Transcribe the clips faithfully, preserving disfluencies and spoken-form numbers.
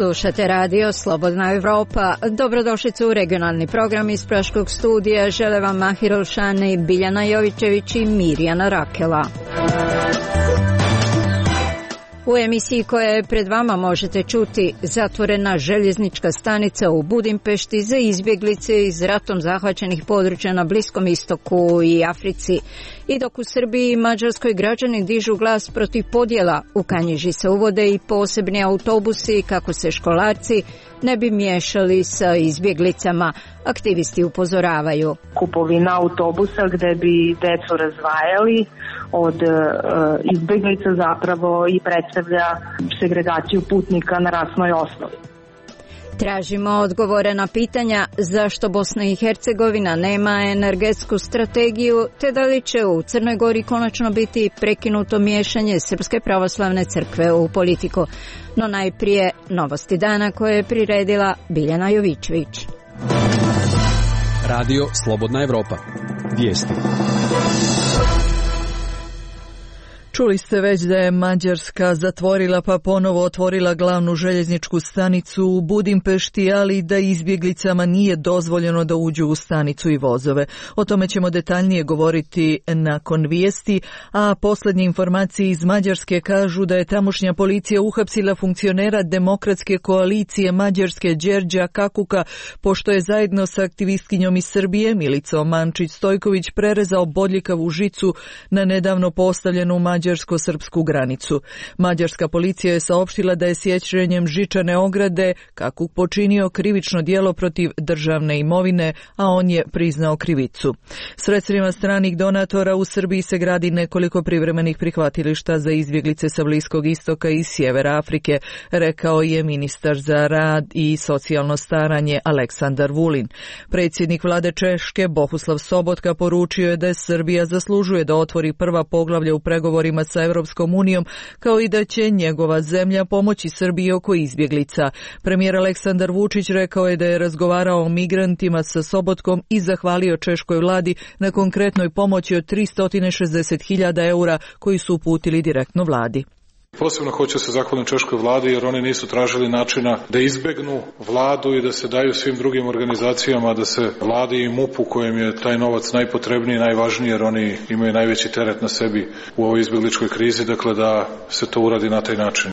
Slušate radio Slobodna Evropa. Dobrodošlicu u regionalni program iz Praškog studija. Žele vam Mahir Olšani, Biljana Jovićević i Mirjana Rakela. U emisiji koja je pred vama možete čuti: zatvorena željeznička stanica u Budimpešti za izbjeglice iz ratom zahvaćenih područja na Bliskom istoku i Africi. I dok u Srbiji i Mađarskoj građani dižu glas protiv podjela, u Kanjiži se uvode i posebni autobusi kako se školarci ne bi miješali sa izbjeglicama. Aktivisti upozoravaju. Kupovina autobusa gdje bi decu razdvajali od e, izbjeglica zapravo i predstavlja segregaciju putnika na rasnoj osnovi. Tražimo odgovore na pitanja zašto Bosna i Hercegovina nema energetsku strategiju, te da li će u Crnoj Gori konačno biti prekinuto miješanje Srpske pravoslavne crkve u politiku. No najprije novosti dana koje je priredila Biljana Jovićević. Radio Slobodna Evropa. Vijesti. Čuli ste već da je Mađarska zatvorila pa ponovo otvorila glavnu željezničku stanicu u Budimpešti, ali da izbjeglicama nije dozvoljeno da uđu u stanicu i vozove. O tome ćemo detaljnije govoriti nakon vijesti, a posljednje informacije iz Mađarske kažu da je tamošnja policija uhapsila funkcionera Demokratske koalicije Mađarske Đerđa Kakuka, pošto je zajedno sa aktivistkinjom iz Srbije Milicom Mančić-Stojković prerezao bodljikavu žicu na nedavno postavljenu Mađarsku mađarsko-srpsku granicu. Mađarska policija je saopštila da je sjećanjem žičane ograde Kakuk počinio krivično djelo protiv državne imovine, a on je priznao krivicu. Sredstvima stranih donatora u Srbiji se gradi nekoliko privremenih prihvatilišta za izbjeglice sa Bliskog istoka i sjevera Afrike, rekao je ministar za rad i socijalno staranje Aleksandar Vulin. Predsjednik vlade Češke Bohuslav Sobotka poručio je da Srbija zaslužuje da otvori prva poglavlja u pregovorima sa Europskom unijom, kao i da će njegova zemlja pomoći Srbiji oko izbjeglica. Premijer Aleksandar Vučić rekao je da je razgovarao o migrantima sa Sobotkom i zahvalio češkoj vladi na konkretnoj pomoći od tristo šezdeset hiljada eura koji su uputili direktno vladi. Posebno hoću se zahvaliti češkoj vladi jer oni nisu tražili načina da izbegnu vladu i da se daju svim drugim organizacijama, da se vladi i MUP-u kojem je taj novac najpotrebniji i najvažniji jer oni imaju najveći teret na sebi u ovoj izbjegličkoj krizi, dakle da se to uradi na taj način.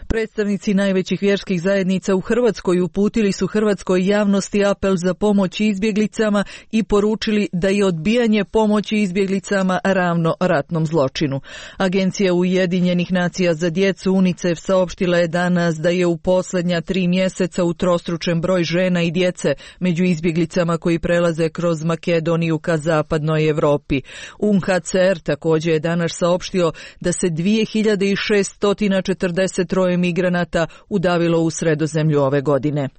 Predstavnici najvećih vjerskih zajednica u Hrvatskoj uputili su hrvatskoj javnosti apel za pomoć izbjeglicama i poručili da je odbijanje pomoći izbjeglicama ravno ratnom zločinu. Agencija Ujedinjenih nacija za djecu UNICEF saopštila je danas da je u posljednja tri mjeseca utrostručen broj žena i djece među izbjeglicama koji prelaze kroz Makedoniju ka zapadnoj Europi. U N H C R također je danas saopštio da se dvije hiljade šeststo četrdeset troje migranata udavilo u Sredozemlju ove godine.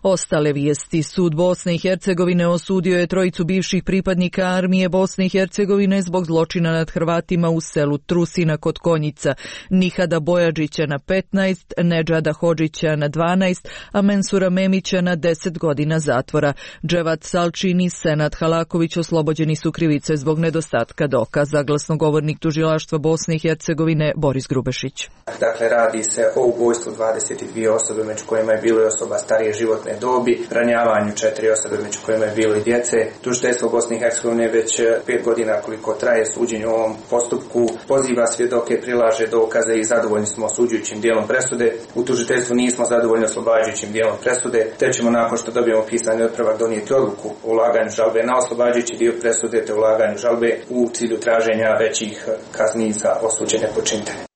Ostale vijesti. Sud Bosne i Hercegovine osudio je trojicu bivših pripadnika armije Bosne i Hercegovine zbog zločina nad Hrvatima u selu Trusina kod Konjica. Nihada Bojađića na petnaest, Nedžada Hodžića na dvanaest, a Mensura Memića na deset godina zatvora. Dževat Salčin i Senad Halaković oslobođeni su krivice zbog nedostatka dokaza. Glasnogovornik tužilaštva Bosne i Hercegovine Boris Grubešić. Dakle, radi se o ubojstvu dvadeset dvije osobe, među kojima je bilo i osoba starije životne dobi, ranjavanju četiri osobe, među kojima je bilo i djece. Tužiteljstvo Bosne i Hercegovine već pet godina koliko traje suđenje u ovom postupku poziva svjedoke, prilaže dokaze i zadovoljni smo osuđujućim dijelom presude. U tužiteljstvu nismo zadovoljni oslobađajućim dijelom presude, te ćemo nakon što dobijemo pisani otpravak donijeti odluku o ulaganju žalbe na oslobađajući dio presude te ulaganju žalbe u cilju traženja većih kazni za osuđene počinitelje.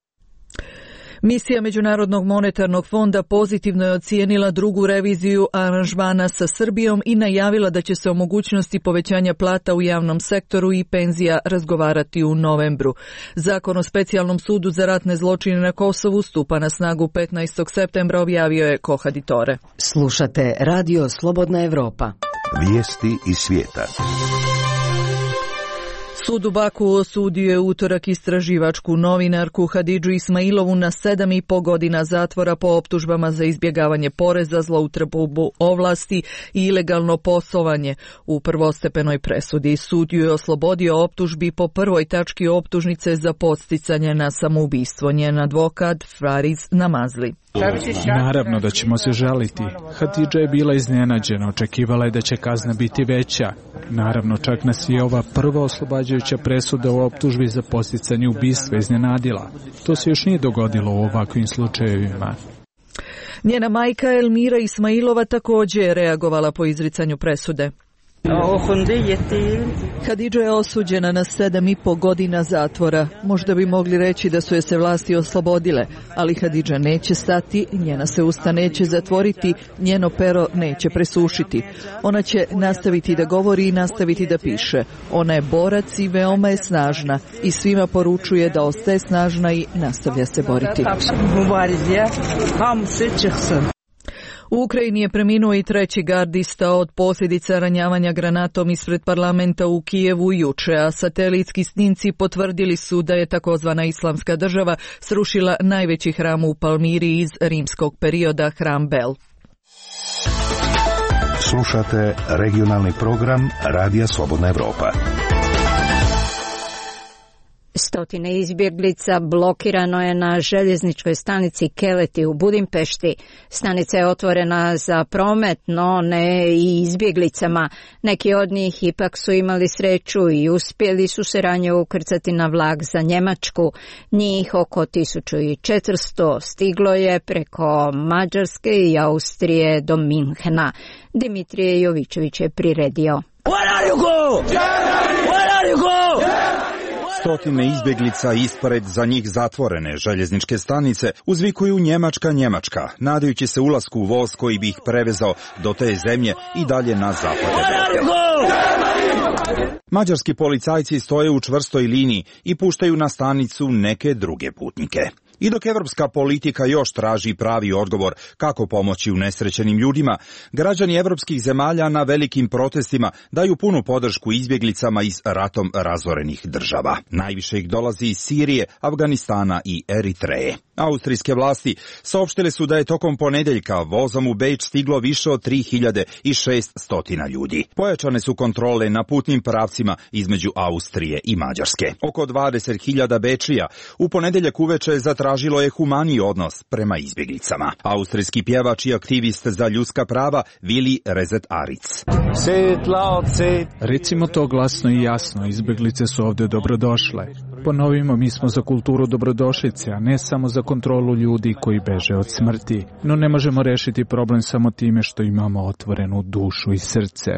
Misija Međunarodnog monetarnog fonda pozitivno je ocijenila drugu reviziju aranžmana sa Srbijom i najavila da će se o mogućnosti povećanja plata u javnom sektoru i penzija razgovarati u novembru. Zakon o specijalnom sudu za ratne zločine na Kosovu stupa na snagu petnaestog septembra, objavio je Kohaditore. Slušate Radio Slobodna Evropa. Vijesti iz svijeta. Sud u Baku osudio je utorak istraživačku novinarku Hadidžu Ismailovu na sedam i po godina zatvora po optužbama za izbjegavanje poreza, zloupotrebu ovlasti i ilegalno poslovanje. U prvostepenoj presudi sud ju je oslobodio optužbi po prvoj tački optužnice za podsticanje na samoubistvo. Njen advokat Fariz Namazli. Naravno da ćemo se žaliti. Hadidža je bila iznenađena, očekivala je da će kazna biti veća. Naravno, čak nas je ova prva oslobađajuća presuda u optužbi za podsticanje ubistva iznenadila. To se još nije dogodilo u ovakvim slučajevima. Njena majka Elmira Ismailova također je reagovala po izricanju presude. Hadidža je osuđena na sedam i po godina zatvora. Možda bi mogli reći da su je se vlasti oslobodile, ali Hadidža neće stati, njena se usta neće zatvoriti, njeno pero neće presušiti. Ona će nastaviti da govori i nastaviti da piše. Ona je borac i veoma je snažna i svima poručuje da ostaje snažna i nastavlja se boriti. U Ukrajini je preminuo i treći gardista od posljedica ranjavanja granatom ispred parlamenta u Kijevu juče, a satelitski snimci potvrdili su da je takozvana Islamska država srušila najveći hram u Palmiri iz rimskog perioda, hram Bel. Slušate regionalni program Radija Slobodna Evropa. Stotine izbjeglica blokirano je na željezničkoj stanici Keleti u Budimpešti. Stanica je otvorena za promet, no ne i izbjeglicama. Neki od njih ipak su imali sreću i uspjeli su se ranije ukrcati na vlak za Njemačku. Njih oko tisuću četiristo stiglo je preko Mađarske i Austrije do Minhena. Dimitrije Jovičević je priredio. Where are you go? Where are you go? Stotine izbjeglica ispred za njih zatvorene željezničke stanice uzvikuju Njemačka, Njemačka, nadajući se ulasku u voz koji bi ih prevezao do te zemlje i dalje na zapad. Mađarski policajci stoje u čvrstoj liniji i puštaju na stanicu neke druge putnike. I dok evropska politika još traži pravi odgovor kako pomoći unesrećenim ljudima, građani evropskih zemalja na velikim protestima daju punu podršku izbjeglicama iz ratom razorenih država. Najviše ih dolazi iz Sirije, Afganistana i Eritreje. Austrijske vlasti saopštile su da je tokom ponedjeljka vozom u Beč stiglo više od tri hiljade šesto ljudi. Pojačane su kontrole na putnim pravcima između Austrije i Mađarske. Oko dvadeset hiljada Bečija u ponedjeljak uveče zatražilo je humaniji odnos prema izbjeglicama. Austrijski pjevač i aktivist za ljudska prava Vili Rezet Aric. Recimo to glasno i jasno, izbjeglice su ovdje dobrodošle. Ponovimo, mi smo za kulturu dobrodošlice, a ne samo za kontrolu ljudi koji beže od smrti. No ne možemo rešiti problem samo time što imamo otvorenu dušu i srce.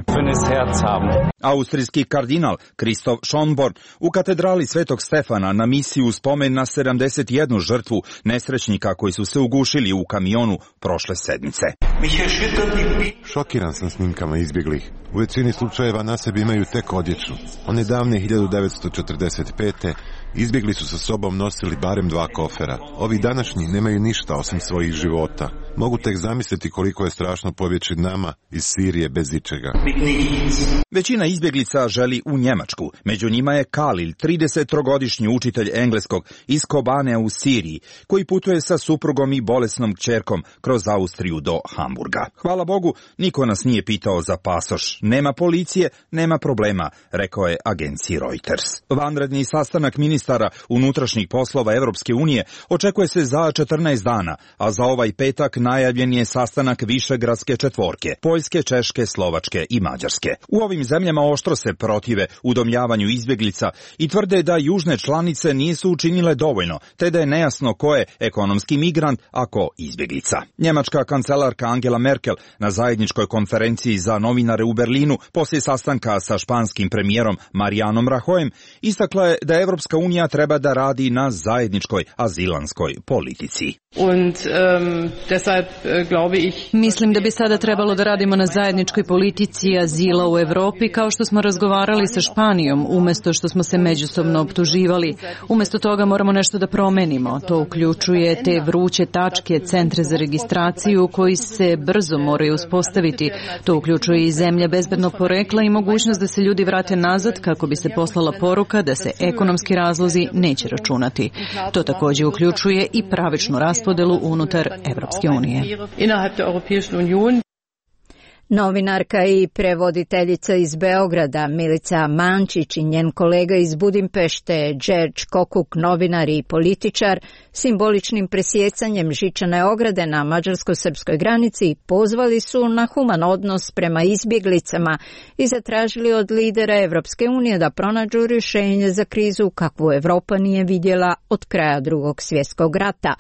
Austrijski kardinal Kristof Schonborn u katedrali Svetog Stefana na misiju spomen na sedamdeset jednu žrtvu nesrećnika koji su se ugušili u kamionu prošle sedmice. Šokiran sam snimkama izbjeglih. U većini slučajeva na sebi imaju tek odjeću. One davne hiljadu devetsto četrdeset pete izbjegli su sa sobom nosili barem dva kofera. Ovi današnji nemaju ništa osim svojih života. Mogu tek zamisliti koliko je strašno pobjeći nama iz Sirije bez ičega. Većina izbjeglica želi u Njemačku. Među njima je Kalil, tridesettrogodišnji učitelj engleskog iz Kobane u Siriji, koji putuje sa suprugom i bolesnom kćerkom kroz Austriju do Hamburga. Hvala Bogu, niko nas nije pitao za pasoš. Nema policije, nema problema, rekao je agenciji Reuters. Vanredni sastanak ministara unutrašnjih poslova Evropske unije očekuje se za četrnaest dana, a za ovaj petak najavljen je sastanak Višegradske četvorke, Poljske, Češke, Slovačke i Mađarske. U ovim zemljama oštro se protive udomljavanju izbjeglica i tvrde da južne članice nisu učinile dovoljno, te da je nejasno ko je ekonomski migrant, a ko izbjeglica. Njemačka kancelarka Angela Merkel na zajedničkoj konferenciji za novinare u Berlinu poslije sastanka sa španskim premijerom Marijanom Rajoyem istakla je da Evropska unija treba da radi na zajedničkoj azilanskoj politici. Mislim da bi sada trebalo da radimo na zajedničkoj politici azila u Evropi, kao što smo razgovarali sa Španijom, umjesto što smo se međusobno optuživali. Umjesto toga moramo nešto da promenimo. To uključuje te vruće tačke, centre za registraciju koji se brzo moraju uspostaviti. To uključuje i zemlje bezbednog porekla i mogućnost da se ljudi vrate nazad kako bi se poslala poruka da se ekonomski razlozi neće računati. To također uključuje i pravičnu raspodelu unutar Evropske unije. Novinarka i prevoditeljica iz Beograda Milica Mančić i njen kolega iz Budimpešte Đerđ Kokuk, novinar i političar, simboličnim presjecanjem žičane ograde na mađarsko-srpskoj granici pozvali su na human odnos prema izbjeglicama i zatražili od lidera Evropske unije da pronađu rješenje za krizu kakvu Evropa nije vidjela od kraja Drugog svjetskog rata.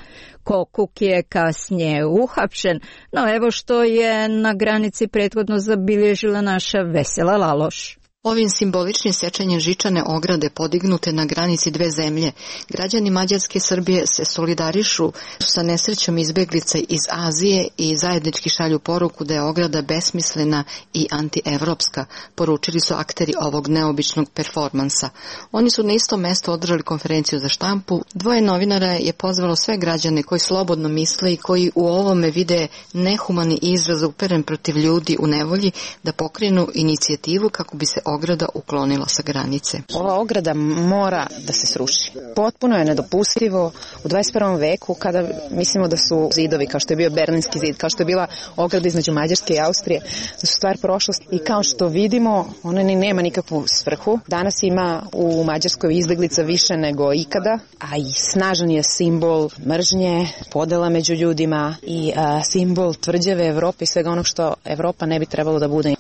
Kokuk je kasnije uhapšen, no evo što je na granici prethodno zabilježila naša Vesela Laloš. Ovim simboličnim sečenjem žičane ograde podignute na granici dve zemlje, građani Mađarske i Srbije se solidarišu sa nesrećom izbjeglica iz Azije i zajednički šalju poruku da je ograda besmislena i antievropska, poručili su akteri ovog neobičnog performansa. Oni su na isto mesto održali konferenciju za štampu. Dvoje novinara je pozvalo sve građane koji slobodno misle i koji u ovome vide nehumani izraz uperen protiv ljudi u nevolji da pokrenu inicijativu kako bi se ograda uklonila sa granice. Ova ograda mora da se sruši. Potpuno je nedopustivo u dvadeset prvom veku kada mislimo da su zidovi kao što je bio Berlinski zid, kao što je bila ograda između Mađarske i Austrije, da su stvar prošlosti i kao što vidimo ona ni nema nikakvu svrhu. Danas ima u Mađarskoj izbeglica više nego ikada, a i snažan je simbol mržnje, podela među ljudima i a, simbol tvrđave Evrope i svega onog što Evropa ne bi trebalo da bude.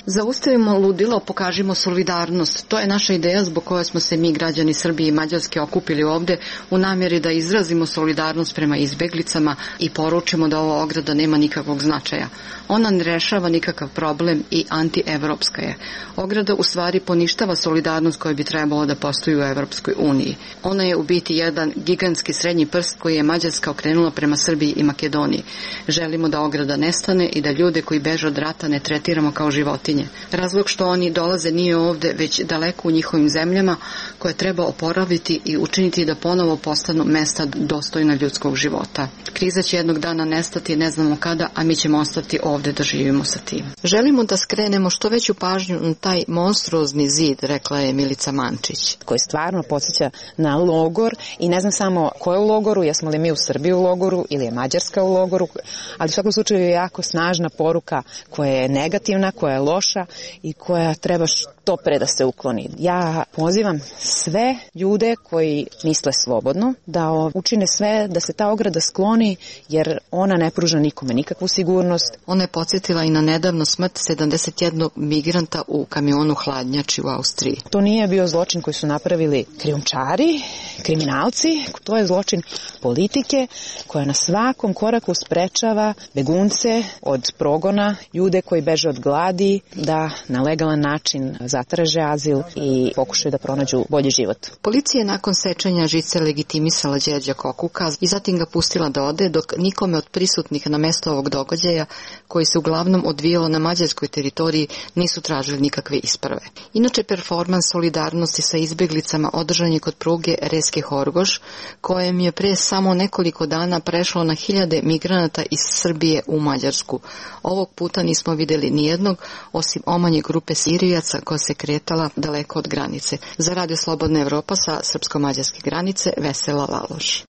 Zaustavimo ludilo, pokažimo solidarnost. To je naša ideja zbog koje smo se mi, građani Srbije i Mađarske, okupili ovde u namjeri da izrazimo solidarnost prema izbeglicama i poručimo da ova ograda nema nikakvog značaja. Ona ne rešava nikakav problem i antievropska je. Ograda u stvari poništava solidarnost koja bi trebalo da postoji u Evropskoj uniji. Ona je u biti jedan gigantski srednji prst koji je Mađarska okrenula prema Srbiji i Makedoniji. Želimo da ograda nestane i da ljude koji beže od rata ne tretiramo kao životinje. Razlog što oni dolaze nije ovde, već daleko u njihovim zemljama koje treba oporaviti i učiniti da ponovo postanu mesta dostojna ljudskog života. Kriza će jednog dana nestati, ne znamo kada, a mi ćemo ostati ovde da živimo sa tim. Želimo da skrenemo što veću pažnju na taj monstruozni zid, rekla je Milica Mančić. Koji stvarno podsjeća na logor i ne znam samo ko je u logoru, jesmo li mi u Srbiji u logoru ili je Mađarska u logoru, ali u svakom slučaju je jako snažna poruka koja je negativna, koja je loša i koja treba što pre da se ukloni. Ja pozivam sve ljude koji misle slobodno da učine sve da se ta ograda skloni jer ona ne pruža nikome nikakvu sigurnost. Ona je podsjetila i na nedavno smrt sedamdeset jednog migranta u kamionu hladnjači u Austriji. To nije bio zločin koji su napravili krijumčari, kriminalci, to je zločin politike koja na svakom koraku sprečava begunce od progona, ljude koji beže od gladi, da na legalan način zatraže azil i pokušaju da pronađu bolji život. Policija je nakon sečenja žice legitimisala Đerđa Kokuka i zatim ga pustila da ode, dok nikome od prisutnih na mesto ovog događaja, koji se uglavnom odvijalo na mađarskoj teritoriji, nisu tražili nikakve isprave. Inače, performans solidarnosti sa izbjeglicama održan je kod pruge Reske Horgoš, kojem je pre samo nekoliko dana prešlo na hiljade migranata iz Srbije u Mađarsku. Ovog puta nismo vidjeli nijednog, osim omanje grupe Sirijaca koja se kretala daleko od granice. Za Radio Slobodna Evropa sa srpsko-mađarske granice, Vesela Laloš.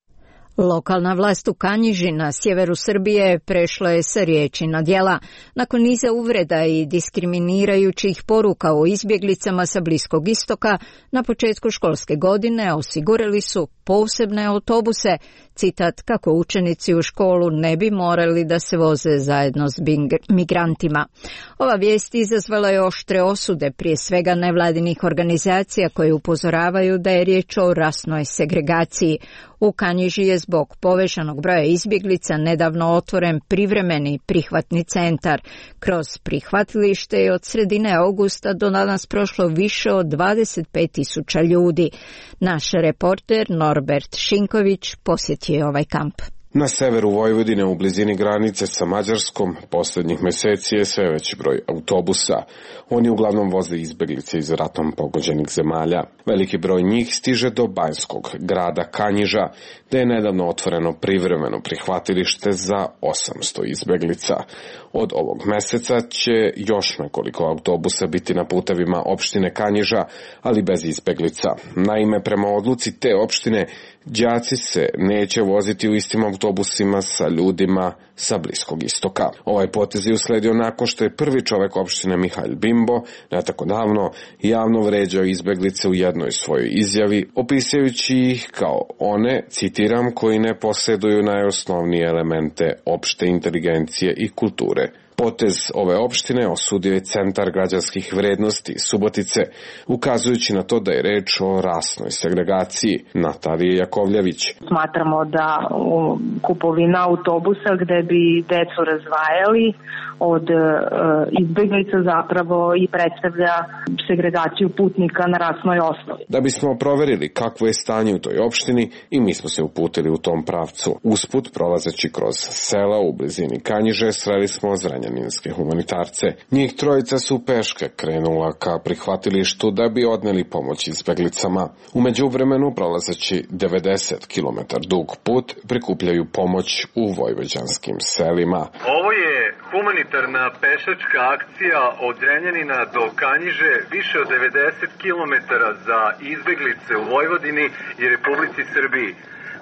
Lokalna vlast u Kanjiži na sjeveru Srbije prešla je sa riječi na djela. Nakon niza uvreda i diskriminirajućih poruka o izbjeglicama sa Bliskog istoka, na početku školske godine osigurali su posebne autobuse, citat, kako učenici u školu ne bi morali da se voze zajedno s migrantima. Ova vijest izazvala je oštre osude, prije svega nevladinih organizacija koje upozoravaju da je riječ o rasnoj segregaciji. U Kanjiži je zbog povećanog broja izbjeglica nedavno otvoren privremeni prihvatni centar. Kroz prihvatilište je od sredine augusta do danas prošlo više od dvadeset pet tisuća ljudi. Naš reporter Norbert Šinković posjetio je ovaj kamp. Na severu Vojvodine, u blizini granice sa Mađarskom, posljednjih meseci je sve veći broj autobusa. Oni uglavnom voze izbeglice iz ratom pogođenih zemalja. Veliki broj njih stiže do banjskog grada Kanjiža, gde je nedavno otvoreno privremeno prihvatilište za osamsto izbeglica. Od ovog meseca će još nekoliko autobusa biti na putevima opštine Kanjiža, ali bez izbeglica. Naime, prema odluci te opštine, đaci se neće voziti u istim autobusima sa ljudima sa Bliskog istoka. Ovaj potez je usledio nakon što je prvi čovek opštine Mihail Bimbo, ne tako davno, javno vređao izbeglice u jednoj svojoj izjavi, opisujući ih kao one, citiram, koji ne posjeduju najosnovnije elemente opšte inteligencije i kulture. Potez ove opštine osudio je Centar građanskih vrednosti Subotice, ukazujući na to da je reč o rasnoj segregaciji. Natalija Jakovljević. Smatramo da kupovina autobusa gde bi decu razvajali od e, izbeglica zapravo i predstavlja segregaciju putnika na rasnoj osnovi. Da bismo proverili kakvo je stanje u toj opštini, i mi smo se uputili u tom pravcu. Usput, prolazeći kroz sela u blizini Kanjiže, sreli smo zrenjaninske humanitarce. Njih trojica su peške krenula ka prihvatilištu da bi odneli pomoć izbeglicama. U međuvremenu, prolazeći devedeset kilometara dug put, prikupljaju pomoć u vojvođanskim selima. Ovo je humanitarna pešačka akcija od Zrenjanina do Kanjiže, više od devedeset kilometara za izbeglice u Vojvodini i Republici Srbiji.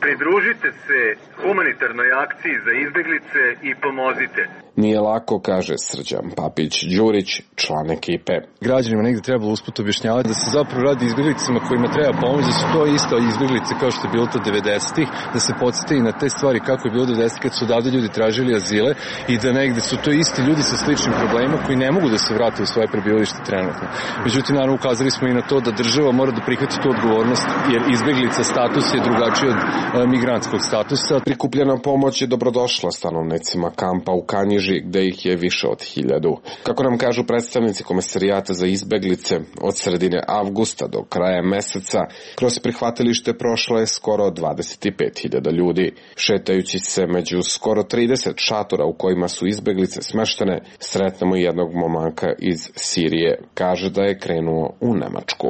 Pridružite se humanitarnoj akciji za izbeglice i pomozite. Nije lako, kaže Srđan Papić-Đurić, član ekipe. Građanima negdje trebalo usput objašnjavati da se zapravo radi izbeglicama kojima treba pomoći, da su to isto izbeglice kao što je bilo to devedesetih, da se podsjeti i na te stvari kako je bilo devedesetih kad su odavde ljudi tražili azile i da negdje su to isti ljudi sa sličnim problemima koji ne mogu da se vrate u svoje prebivalište trenutno. Međutim, naravno, ukazali smo i na to da država mora da prihvati tu odgovornost, jer izbeglica status je drugačiji od migrantskog statusa. Prikupljena pomoć je dobrodošla stanovnicima kampa u Kanjiži, gde ih je više od hiljadu. Kako nam kažu predstavnici Komesarijata za izbeglice, od sredine avgusta do kraja meseca kroz prihvatilište prošlo je skoro dvadeset pet hiljada ljudi. Šetajući se među skoro trideset šatora u kojima su izbeglice smeštene, sretnemo jednog momaka iz Sirije. Kaže da je krenuo u Nemačku.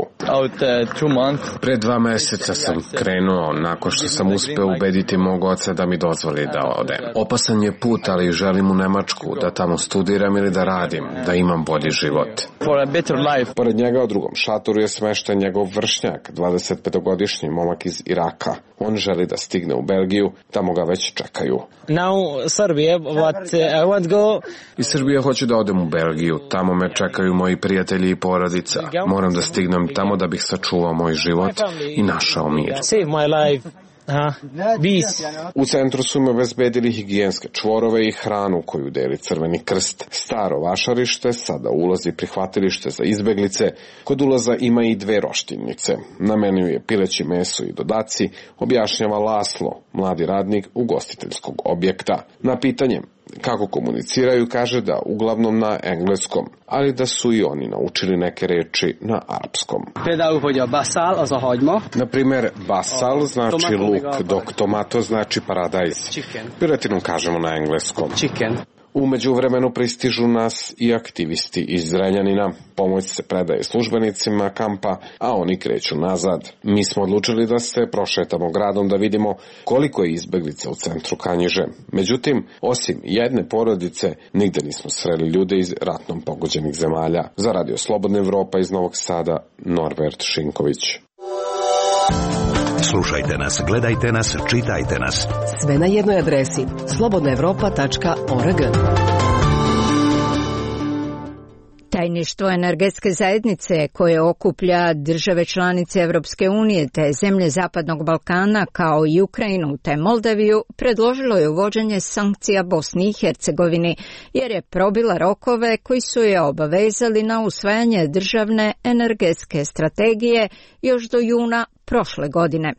Pre dva meseca sam krenuo nakon što sam uspeo ubediti mog oca da mi dozvoli da odem. Opasan je put, ali želim u Nemačku, da tamo studiram ili da radim, da imam bolji život. Pored njega u drugom šatoru je smešten njegov vršnjak, dvadesetpetogodišnji momak iz Iraka. On želi da stigne u Belgiju, tamo ga već čekaju. Now, Serbia, what I want go... Iz Srbije hoću da odem u Belgiju, tamo me čekaju moji prijatelji i porodica. Moram da stignem tamo da bih sačuvao moj život i našao mir. Save my life. Aha, u centru su im obezbedili higijenske čvorove i hranu koju deli Crveni krst. Staro vašarište, sada ulazi prihvatilište za izbeglice. Kod ulaza ima i dve roštilnice. Na meniju je pileće meso i dodaci, objašnjava Laslo, mladi radnik ugostiteljskog objekta. Na pitanje kako komuniciraju, kaže da uglavnom na engleskom, ali da su i oni naučili neke reči na arapskom. Na primer, basal znači luk, dok tomato znači paradajz. Piletinu kažemo na engleskom. U međuvremenu pristižu nas i aktivisti iz Zrenjanina. Pomoć se predaje službenicima kampa, a oni kreću nazad. Mi smo odlučili da se prošetamo gradom da vidimo koliko je izbeglica u centru Kanjiže. Međutim, osim jedne porodice, nigde nismo sreli ljude iz ratnom pogođenih zemalja. Za Radio Slobodna Evropa iz Novog Sada, Norbert Šinković. Slušajte nas, gledajte nas, čitajte nas. Sve na jednoj adresi slobodna evropa tačka org. Tajništvo energetske zajednice koje okuplja države članice Evropske unije te zemlje Zapadnog Balkana kao i Ukrajinu te Moldaviju predložilo je uvođenje sankcija Bosni i Hercegovini jer je probila rokove koji su je obavezali na usvajanje državne energetske strategije još do juna prošle godine.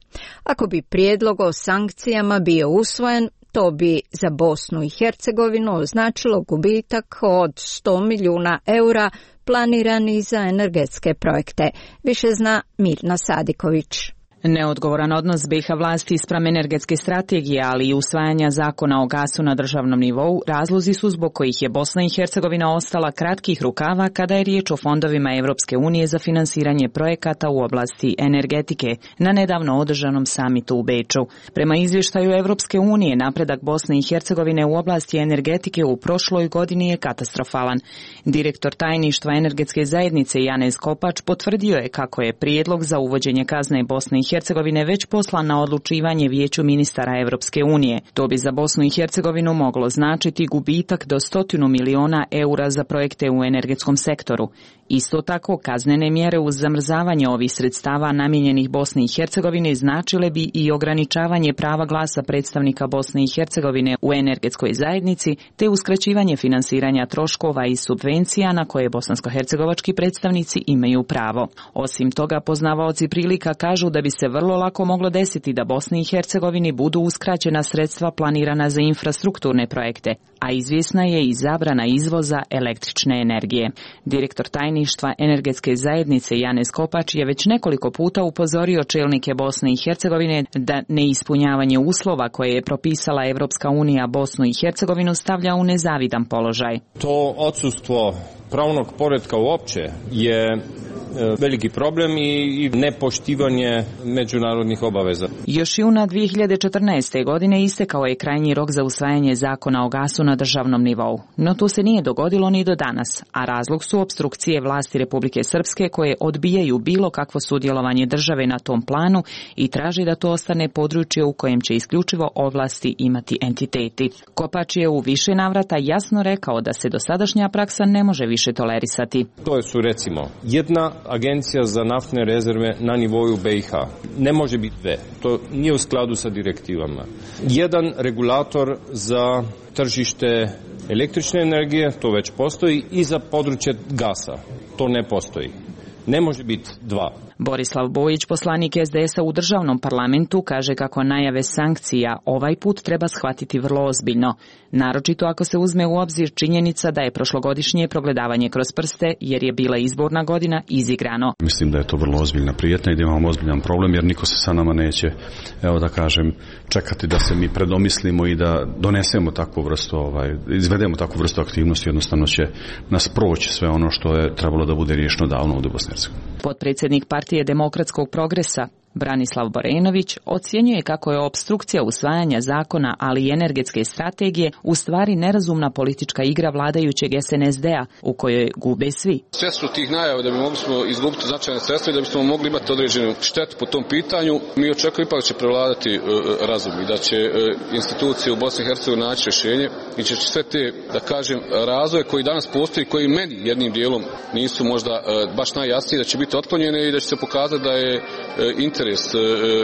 Ako bi prijedlog o sankcijama bio usvojen, to bi za Bosnu i Hercegovinu označilo gubitak od sto milijuna eura planirani za energetske projekte. Više zna Mirna Sadiković. Neodgovoran odnos B i H vlasti spram energetske strategije, ali i usvajanja zakona o gasu na državnom nivou, razlozi su zbog kojih je Bosna i Hercegovina ostala kratkih rukava kada je riječ o fondovima Evropske unije za finansiranje projekata u oblasti energetike na nedavno održanom samitu u Beču. Prema izvještaju Evropske unije, napredak Bosne i Hercegovine u oblasti energetike u prošloj godini je katastrofalan. Direktor tajništva energetske zajednice Janez Kopač potvrdio je kako je prijedlog za uvođenje kazne Bosne i Hercegovine već poslan na odlučivanje Vijeću ministara Evropske unije. To bi za Bosnu i Hercegovinu moglo značiti gubitak do stotinu miliona eura za projekte u energetskom sektoru. Isto tako, kaznene mjere uz zamrzavanje ovih sredstava namijenjenih Bosni i Hercegovini značile bi i ograničavanje prava glasa predstavnika Bosne i Hercegovine u energetskoj zajednici, te uskraćivanje finansiranja troškova i subvencija na koje bosansko-hercegovački predstavnici imaju pravo. Osim toga, poznavaoci prilika kažu da bi se vrlo lako moglo desiti da Bosni i Hercegovini budu uskraćena sredstva planirana za infrastrukturne projekte, a izvjesna je i zabrana izvoza električne energije. Direktor tajništva energetske zajednice Janez Kopač je već nekoliko puta upozorio čelnike Bosne i Hercegovine da neispunjavanje uslova koje je propisala Evropska unija Bosnu i Hercegovinu stavlja u nezavidan položaj. To odsustvo pravnog poretka uopće je veliki problem i nepoštivanje međunarodnih obaveza. Još juna dvije hiljade četrnaeste. godine istekao je krajnji rok za usvajanje zakona o gasu na državnom nivou, no to se nije dogodilo ni do danas, a razlog su opstrukcije vlasti Republike Srpske koje odbijaju bilo kakvo sudjelovanje države na tom planu i traži da to ostane područje u kojem će isključivo ovlasti imati entiteti. Kopač je u više navrata jasno rekao da se dosadašnja praksa ne može više tolerisati. To su recimo jedna agencija za naftne rezerve na nivou B i H. Ne može biti dve. To nije u skladu sa direktivama. Jedan regulator za tržište električne energije, to već postoji, i za područje gasa. To ne postoji. Ne može biti dva. Borislav Bojić, poslanik S D S-a u državnom parlamentu, kaže kako najave sankcija ovaj put treba shvatiti vrlo ozbiljno. Naročito ako se uzme u obzir činjenica da je prošlogodišnje progledavanje kroz prste, jer je bila izborna godina, izigrano. Mislim da je to vrlo ozbiljna prijetnja i da imamo ozbiljan problem, jer niko se sa nama neće, evo da kažem, čekati da se mi predomislimo i da donesemo takvu vrstu, ovaj, izvedemo takvu vrstu aktivnosti, jednostavno će nas proći sve ono što je trebalo da bude riješeno davno u Bosni i Hercegovini. Potpredsjednik Partije demokratskog progresa Branislav Borenović ocjenjuje kako je opstrukcija usvajanja zakona, ali i energetske strategije u stvari nerazumna politička igra vladajućeg S N S D-a u kojoj gube svi. Svjesno tih najava da bi mogli smo izgubiti značajne sredstva i da bismo mogli imati određenu štetu po tom pitanju, mi očekujemo ipak da će prevladati uh, razum i da će uh, institucije u Bosni i Hercegovini naći rješenje i će sve te, da kažem, razvoje koji danas postoji, koji meni jednim dijelom nisu možda uh, baš najjasniji, da će biti otklonjene i da će se pokazati da je uh, interes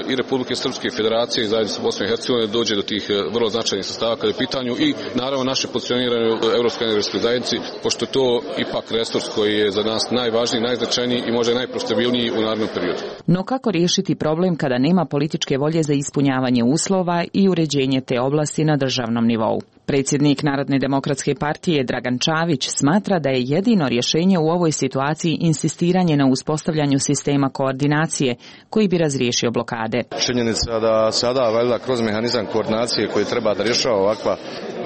i Republike Srpske federacije i zajednice Bosne i Hercegovine dođe do tih vrlo značajnih sastava kada je pitanju i naravno naše pozicioniranje u Evropskoj energetskoj zajednici, pošto je to ipak resurs koji je za nas najvažniji, najznačajniji i možda najprofitabilniji u narednom periodu. No kako riješiti problem kada nema političke volje za ispunjavanje uslova i uređenje te oblasti na državnom nivou? Predsjednik Narodne demokratske partije Dragan Čavić smatra da je jedino rješenje u ovoj situaciji insistiranje na uspostavljanju sistema koordinacije koji bi razriješio blokade. Činjenica da sada valjda kroz mehanizam koordinacije koji treba da rješava ovakva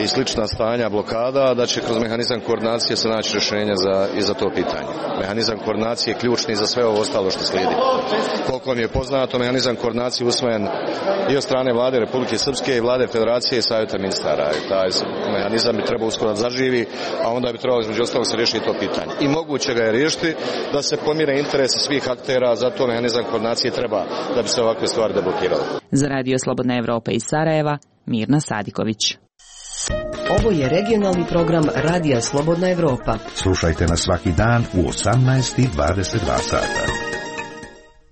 i slična stanja blokada, da će kroz mehanizam koordinacije se naći rješenja za, i za to pitanje. Mehanizam koordinacije je ključni za sve ovo ostalo što slijedi. Koliko mi je poznato, mehanizam koordinacije usvojen i od strane vlade Republike Srpske i vlade Federacije i Savjeta ministara. I taj mehanizam bi trebao uskoro da zaživi, a onda bi trebalo između ostalog se riješiti to pitanje. I moguće ga je riješiti da se pomire interese svih aktera, zato mehanizam koordinacije treba da bi se ovakve stvari deblokirale. Za Radio Slobodna Evropa iz Sarajeva, Mirna Sadiković. Ovo je regionalni program Radija Slobodna Evropa. Slušajte nas svaki dan u osamnaest i dvadeset dva sata.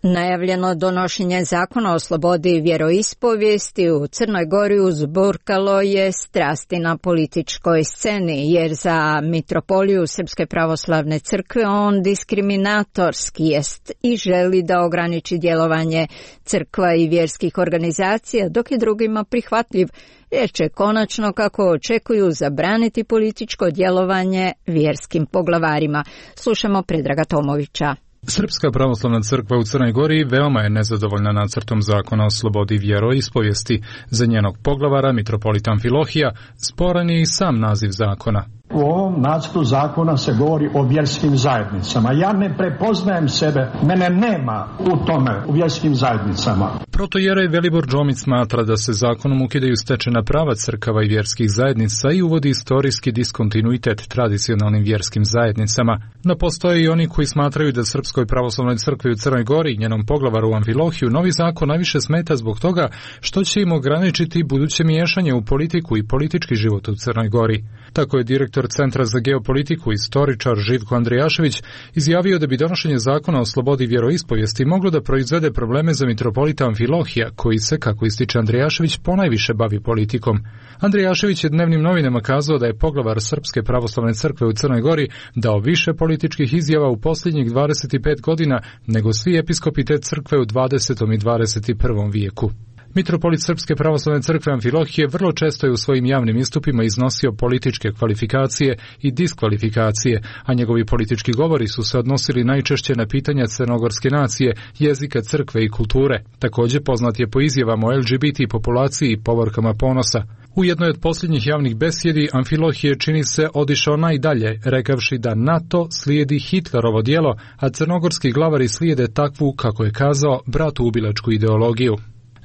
Najavljeno donošenje zakona o slobodi vjeroispovijesti u Crnoj Gori uzburkalo je strasti na političkoj sceni, jer za mitropoliju Srpske pravoslavne crkve on diskriminatorski jest i želi da ograniči djelovanje crkva i vjerskih organizacija, dok je drugima prihvatljiv, jer će konačno, kako očekuju, zabraniti političko djelovanje vjerskim poglavarima. Slušamo Predraga Tomovića. Srpska pravoslavna crkva u Crnoj Gori veoma je nezadovoljna nacrtom zakona o slobodi vjeroispovijesti. Za njenog poglavara, mitropolita Amfilohija, sporan je i sam naziv zakona. U ovom nacrtu zakona se govori o vjerskim zajednicama. Ja ne prepoznajem sebe, mene nema u tome, u vjerskim zajednicama. Protojerej Velibor Džomić smatra da se zakonom ukidaju stečena prava crkava i vjerskih zajednica i uvodi istorijski diskontinuitet tradicionalnim vjerskim zajednicama. No postoje i oni koji smatraju da Srpskoj pravoslavnoj crkvi u Crnoj Gori i njenom poglavaru Amfilohiju novi zakon najviše smeta zbog toga što će im ograničiti buduće miješanje u politiku i politički život u Crnoj Gori. Tako je direktor Centra za geopolitiku i istoričar Živko Andrijašević izjavio da bi donošenje zakona o slobodi vjeroispovijesti moglo da proizvede probleme za mitropolita Amfilohija, koji se, kako ističe Andrijašević, ponajviše bavi politikom. Andrijašević je dnevnim novinama kazao da je poglavar Srpske pravoslavne crkve u Crnoj Gori dao više političkih izjava u posljednjih dvadeset pet godina nego svi episkopi te crkve u dvadesetom i dvadeset prvom vijeku. Mitropolit Srpske pravoslavne crkve Amfilohije vrlo često je u svojim javnim istupima iznosio političke kvalifikacije i diskvalifikacije, a njegovi politički govori su se odnosili najčešće na pitanja crnogorske nacije, jezika, crkve i kulture. Također poznat je po izjavama o L G B T populaciji i povorkama ponosa. U jednoj od posljednjih javnih besjedi Amfilohije čini se odišao najdalje, rekavši da NATO slijedi Hitlerovo djelo, a crnogorski glavari slijede takvu, kako je kazao, bratoubilačku ideologiju.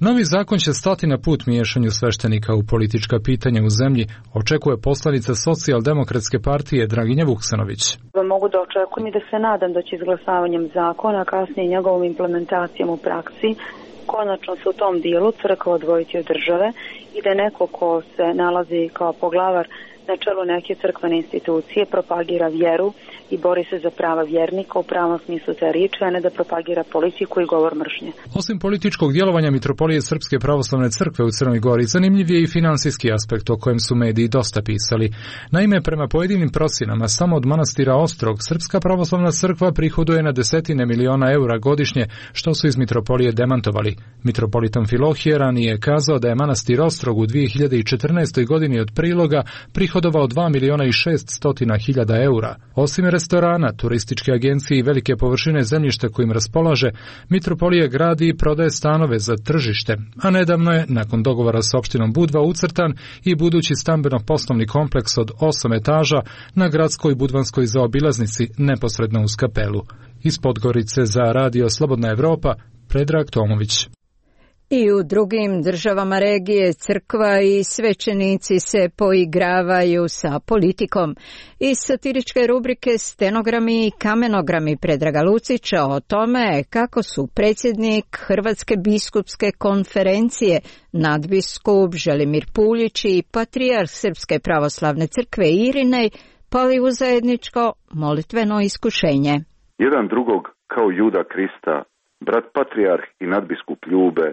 Novi zakon će stati na put miješanju sveštenika u politička pitanja u zemlji, očekuje poslanica Socijaldemokratske partije Draginja Vuksanović. Mogu da očekujem i da se nadam da će izglasavanjem zakona, kasnije njegovom implementacijom u praksi, konačno se u tom dijelu crkva odvojiti od države i da neko ko se nalazi kao poglavar na čelu neke crkvene institucije propagira vjeru i bori se za prava vjernika u pravom smislu te riječi, a ne da propagira politiku i govor mržnje. Osim političkog djelovanja mitropolije Srpske pravoslavne crkve u Crnoj Gori, zanimljiv je i financijski aspekt o kojem su mediji dosta pisali. Naime, prema pojedinim procjenama, samo od manastira Ostrog Srpska pravoslavna crkva prihoduje na desetine miliona eura godišnje, što su iz mitropolije demantovali. Mitropolit Amfilohije ranije je kazao da je manastir Ostrog u dvije hiljade četrnaestoj godini od priloga prihodovao dva miliona i šeststotina hiljada eura. Osim restorana, turističke agencije i velike površine zemljišta kojim raspolaže, mitropolija gradi i prodaje stanove za tržište, a nedavno je, nakon dogovora s opštinom Budva, ucrtan i budući stambeno-poslovni kompleks od osam etaža na gradskoj budvanskoj zaobilaznici neposredno uz kapelu. Iz Podgorice za Radio Slobodna Evropa, Predrag Tomović. I u drugim državama regije crkva i svećenici se poigravaju sa politikom. Iz satiričke rubrike Stenogrami i kamenogrami Predraga Lucića o tome kako su predsjednik Hrvatske biskupske konferencije, nadbiskup Želimir Puljić i patrijarh Srpske pravoslavne crkve Irinej pali u zajedničko molitveno iskušenje. Jedan drugog kao Juda Krista, brat patrijarh i nadbiskup ljube,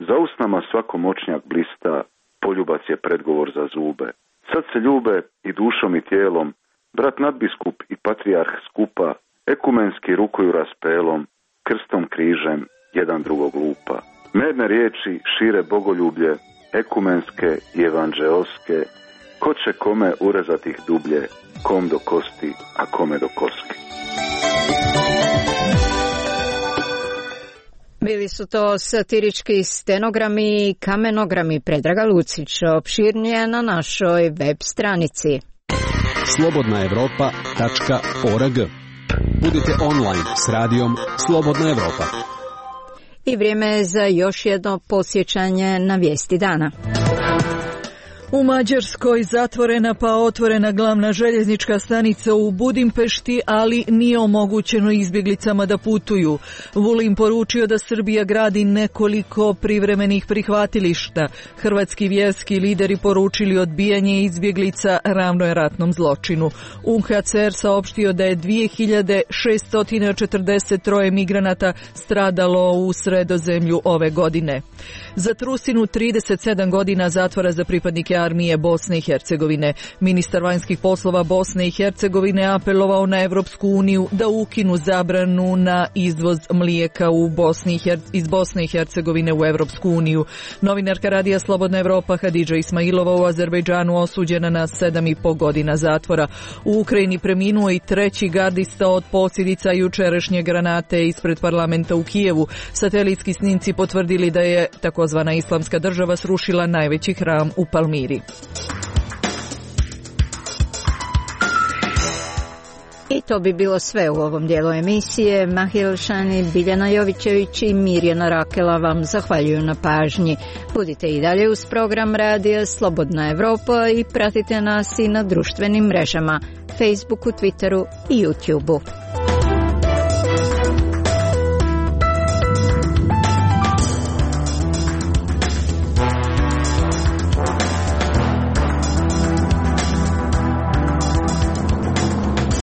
za usnama svako moćnjak blista, poljubac je predgovor za zube. Sad se ljube i dušom i tijelom, brat nadbiskup i patrijarh skupa, ekumenski rukuju raspelom, krstom križem jedan drugog lupa. Medne riječi šire bogoljublje, ekumenske i evanđeoske, ko će kome urezati ih dublje, kom do kosti, a kome do koske. Bili su to satirički stenogrami i kamenogrami Predraga Lucić, opširnije na našoj web stranici. slobodna evropa tačka org. Budite online s radijom Slobodna Evropa. I vrijeme je za još jedno posjećanje na vijesti dana. U Mađarskoj zatvorena pa otvorena glavna željeznička stanica u Budimpešti, ali nije omogućeno izbjeglicama da putuju. Vulin poručio da Srbija gradi nekoliko privremenih prihvatilišta. Hrvatski vjerski lideri poručili odbijanje izbjeglica ravno je ratnom zločinu. U H C R saopštio da je dvije hiljade šesto četrdeset tri migranata stradalo u Sredozemlju ove godine. Za Trusinu trideset sedam godina zatvora za pripadnike armije Bosne i Hercegovine. Ministar vanjskih poslova Bosne i Hercegovine apelovao na Evropsku uniju da ukinu zabranu na izvoz mlijeka u Bosni i Her- iz Bosne i Hercegovine u Evropsku uniju. Novinarka radija Slobodna Evropa Hadidža Ismailova u Azerbejdžanu osuđena na sedam i po godina zatvora. U Ukrajini preminuo i treći gardista od posljedica jučerašnje granate ispred parlamenta u Kijevu. Satelitski snimci potvrdili da je takozvana Islamska država srušila najveći hram u Palmiri. I to bi bilo sve u ovom dijelu emisije. Mahil Šani, Biljana Jovićević i Mirjana Rakela vam zahvaljuju na pažnji. Budite i dalje uz program radija Slobodna Evropa i pratite nas i na društvenim mrežama, Facebooku, Twitteru i YouTubeu.